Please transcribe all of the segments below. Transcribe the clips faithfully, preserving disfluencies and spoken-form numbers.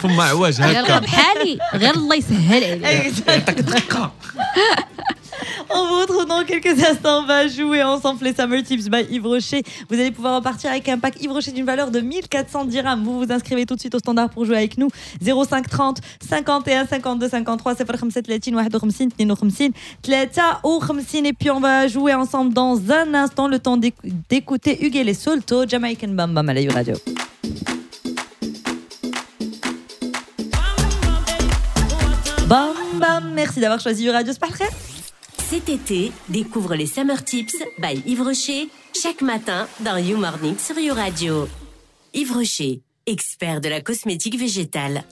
فما عواج هكا بحالي غير الله يسهل عليك. يعطيك دقه. On vous retrouve dans quelques instants. On va jouer ensemble les Summer Tips by Yves Rocher. Vous allez pouvoir repartir avec un pack Yves Rocher d'une valeur de mille quatre cents dirhams. Vous vous inscrivez tout de suite au standard pour jouer avec nous. zéro cinq trente cinquante et un cinquante-deux cinquante-trois صفر خمسة ثلاثين واحد وخمسين اثنين وخمسين ثلاثة وخمسين. Et puis on va jouer ensemble dans un instant, le temps d'écouter Hugues et Solto, Jamaican Bam Bam à la You Radio. Bam Bam, merci d'avoir choisi You Radio. C'est parfait. Cet été, découvre les Summer Tips by Yves Rocher chaque matin dans You Morning sur You Radio. Yves Rocher, expert de la cosmétique végétale.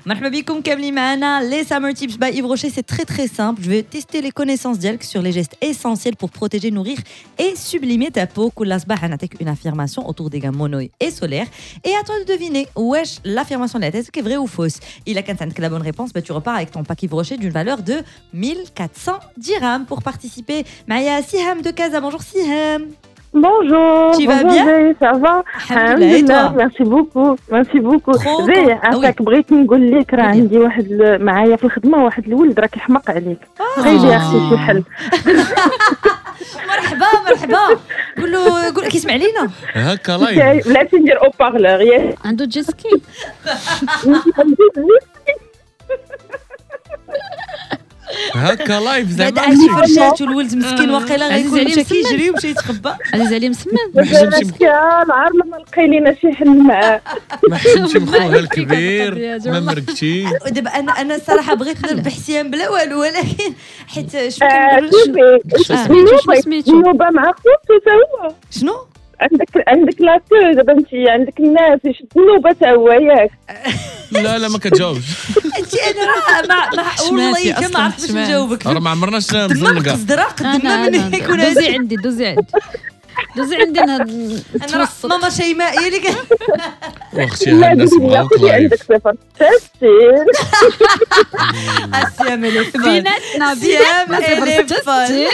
مرحبا بكم كاملين معنا les Summer Tips by Yves Rocher. C'est très très simple. Je vais tester les connaissances ديالك sur les gestes essentiels pour protéger, nourrir et sublimer ta peau. كل صباح نعطيك une affirmation autour des gammes mono et solaires et à toi de deviner واش l'affirmation de la tête est vraie ou fausse. إلا كانت عندك la bonne réponse, bah, tu repars avec ton pack Yves Rocher d'une valeur de mille quatre cents dirhams. Pour participer, معايا Siham de Casa. Bonjour Siham. Bonjour. Tu vas bonjour, bien? Zé, ça va? الحمد لله, et toi? Merci beaucoup. Merci beaucoup. زي عافاك بغيت نقول لك راه عندي واحد معايا في الخدمة واحد الولد راه كيحمق عليك. غير يا اختي شي حل. مرحبا مرحبا. قول له قول كيسمع لينا هكا live. بلاتي ندير haut-parleur. ياك عنده jet ski. هكا live زعما بعد عندي فرشات والولد مسكين واقيلا غيكون مشى كيجري ومشى يتخبى. عزيز عليه مسمن. ما حشمش العار لما لقي لينا شي حل معاه. ما حشمش بخوها الكبير ما مرقتي. دابا انا انا الصراحة بغيت نربح سيام بلا والو، ولكن حيت شنو كنقولوا شنو سميتو النوبة مع خوتو تا هو شنو عندك عندك la queue دابا انت عندك الناس يشد النوبة تا هو ياك. لا لا ما كتجاوبش انت. انا راه ما والله ما عرفتش نجاوبك. راه ما عمرناش نزنقه. قصدرا قدما من يكون دوزي عندي دوزي عندي دوزي عندي انا ماما شيماء هي اللي واختي هاد الناس بغاوك live. عندك صفر ستين السيام اللي بيناتنا بيناتنا صفر ستين.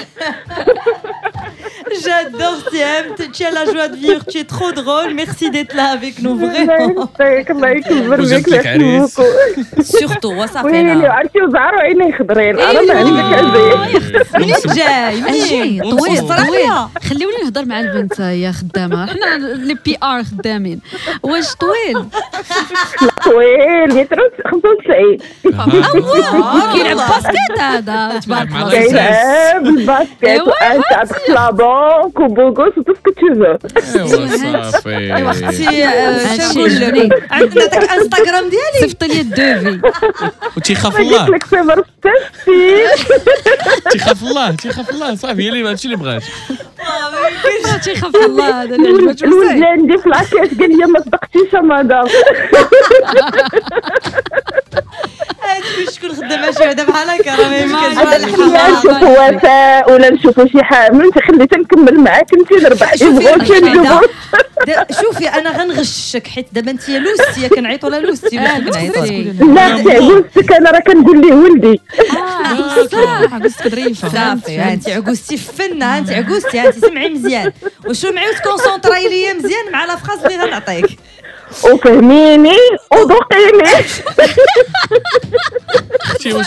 J'adore Siem, tu as la joie de vivre, tu es trop drôle. Merci d'être là avec nous vraiment. Surtout وصافي انا عرفتي وزعروا عيني خضرين. انا ما عندك عزيز. منين جاي؟ منين طويل طويل. خليوني نهضر مع البنت يا خدامه، حنا les PR خدامين. واش طويل؟ طويل متر خمسة وتسعين. كيلعب basket هذا تبارك الله. كيلعب ال basket وانت la banque و beau gosse و tout ce que tu veux. ايوا صافي. ايوا اختي شنو نقول لك؟ عندنا داك انستغرام ديالي صيفط لي ال devis. وتيخاف الله. قلت لك صفر ستين. تيخاف الله تيخاف الله صافي هي اللي هادشي اللي بغات. ما تيخاف الله هذا اللي عجبته. الولد اللي عندي في la caisse قال لي ما صدقتيش مدام. هادشي شكون خدام شي وحده بحال هكا راه ما يمكنش. نشوفوا وفاء ولا نشوفوا شي حاجة من خليتها نكمل معاك انت نربح. شوفي انا غنغشك حيت دابا انت لوستي كنعيطوا لها لوستي ولا كنعيطوا لا عجوزتك انا راه كنقول ليه ولدي. اه صح عجوزتك ظريفة صافي. انت عجوزتي فنه، انت عجوزتي، انت سمعي مزيان وشو معي وتكونسونطراي ليا مزيان مع la phrase اللي غنعطيك وفهميني وذوقيني. اختي واش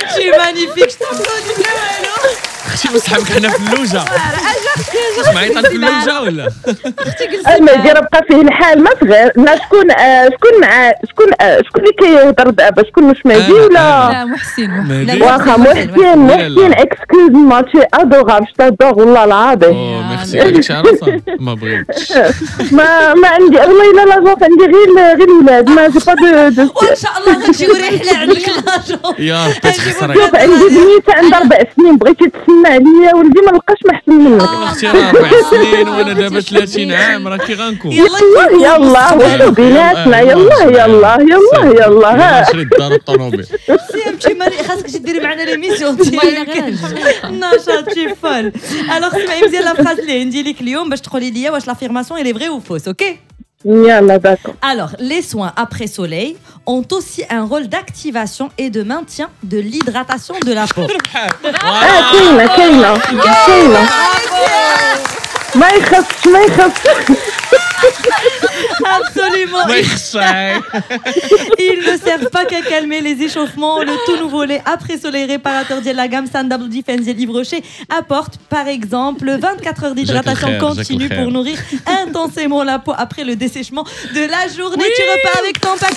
انتي magnifique تفضلي بلا والو. اختي واش صحابك حنا في اللوجه؟ واش معيطه في اللوجه ولا اختي جلسي؟ المهدي راه بقى فيه الحال ما صغير. لا شكون شكون مع شكون شكون اللي كيهضر دابا؟ شكون واش مهدي ولا لا محسن؟ واخا محسن محسن excuse-moi tu es adorable, je t'adore والله العظيم. oh merci. هذيك شي عرفه ما بغيتش. ما ما عندي والله الا l'agence عندي غير غير الولاد ما j'ai pas de de. وان شاء الله غنجيو رحله عندك l'agence يا ربي تخسري. شوف عندي بنيته عندها اربع سنين بغيتي تسمع عليا ولدي ما لقاش ما احسن منك. اختي راه اربع سنين وانا دابا ثلاثين عام راه كي غنكون. يلا يلا وشو بيناتنا يلا يلا يلا يلا نشري الدار والطوموبيل. سي ماري خاصك تجي ديري معنا l'émission نشاط شي فول. alors سمعي مزيان la phrase اللي عندي لك اليوم باش تقولي لي واش l'affirmation elle est vraie ou fausse. OK يلا d'accord. Alors, les soins après soleil ont aussi un rôle d'activation et de maintien de l'hydratation de la peau. اه كاينه كاينه كاينه ما يخصش ما يخصش. Absolument. ما يخصك. Ils ne servent pas qu'à calmer les échauffements. Le tout nouveau lait après soleil réparateur de la gamme Sun Double Defense ديال Yves Rocher apporte par exemple vingt-quatre heures d'hydratation continue pour nourrir intensément la peau après le dessèchement de la journée. Tu repars avec ton pack.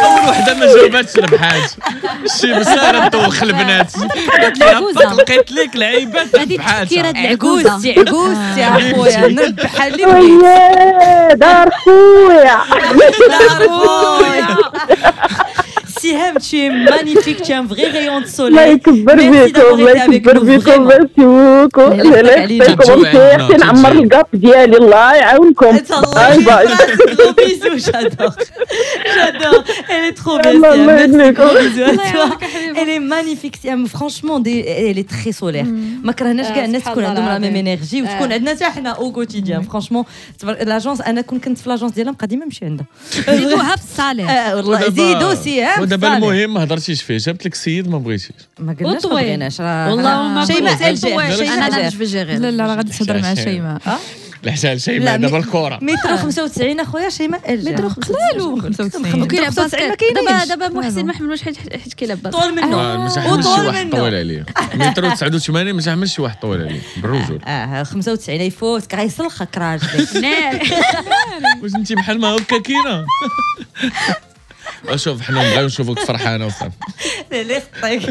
أول وحدة ما جاوباتش ربحات. شي مسألة تدوخ البنات. لقيت لك لعيبات ربحات. عكوزتي عكوزتي اخويا نربح اللي بغيت. دار خويا دار خويا. Siham, tu es magnifique, tu es un vrai rayon de soleil. Merci d'avoir été avec nous. Merci beaucoup. الله يخليكم بخير. نعمر ال gap ديالي الله يعاونكم. باي باي. Gros bisous, j'adore. J'adore. Elle est trop belle. Merci. Gros bisous à toi. Elle est magnifique, Siham. Franchement, elle est très solaire. ما كرهناش كاع الناس تكون عندهم la même énergie وتكون عندنا حتى حنا au quotidien. Franchement, l'agence انا كون كنت في l'agence ديالها نبقى ديما نمشي عندها. زيدوها في ال salaire. والله زيدوا سيهام. ودابا المهم ما هضرتيش فيه، جابت لك السيد ما بغيتيش. ما قلناش ما بغيناش راه والله ما شيماء انا انا جو جيري. لا لا راه غادي تهضر مع شيماء. الحساب شيماء دابا الكره متر خمسة وتسعين اخويا شيماء متر خمسة وتسعين خمسة وتسعين ما كاينش. دابا دابا محسن ما حملوش حيت حيت كيلعب طول منه وطول منه طويل عليه متر تسعة وثمانين ما تحملش شي واحد طويل عليه بالرجل. اه خمسة وتسعين يفوت غيسلخك راجلك. واش انت بحال ما هكا كاينه؟ اشوف حنا نبغيو نشوفوك فرحانة وصافي. لا لا خطيك.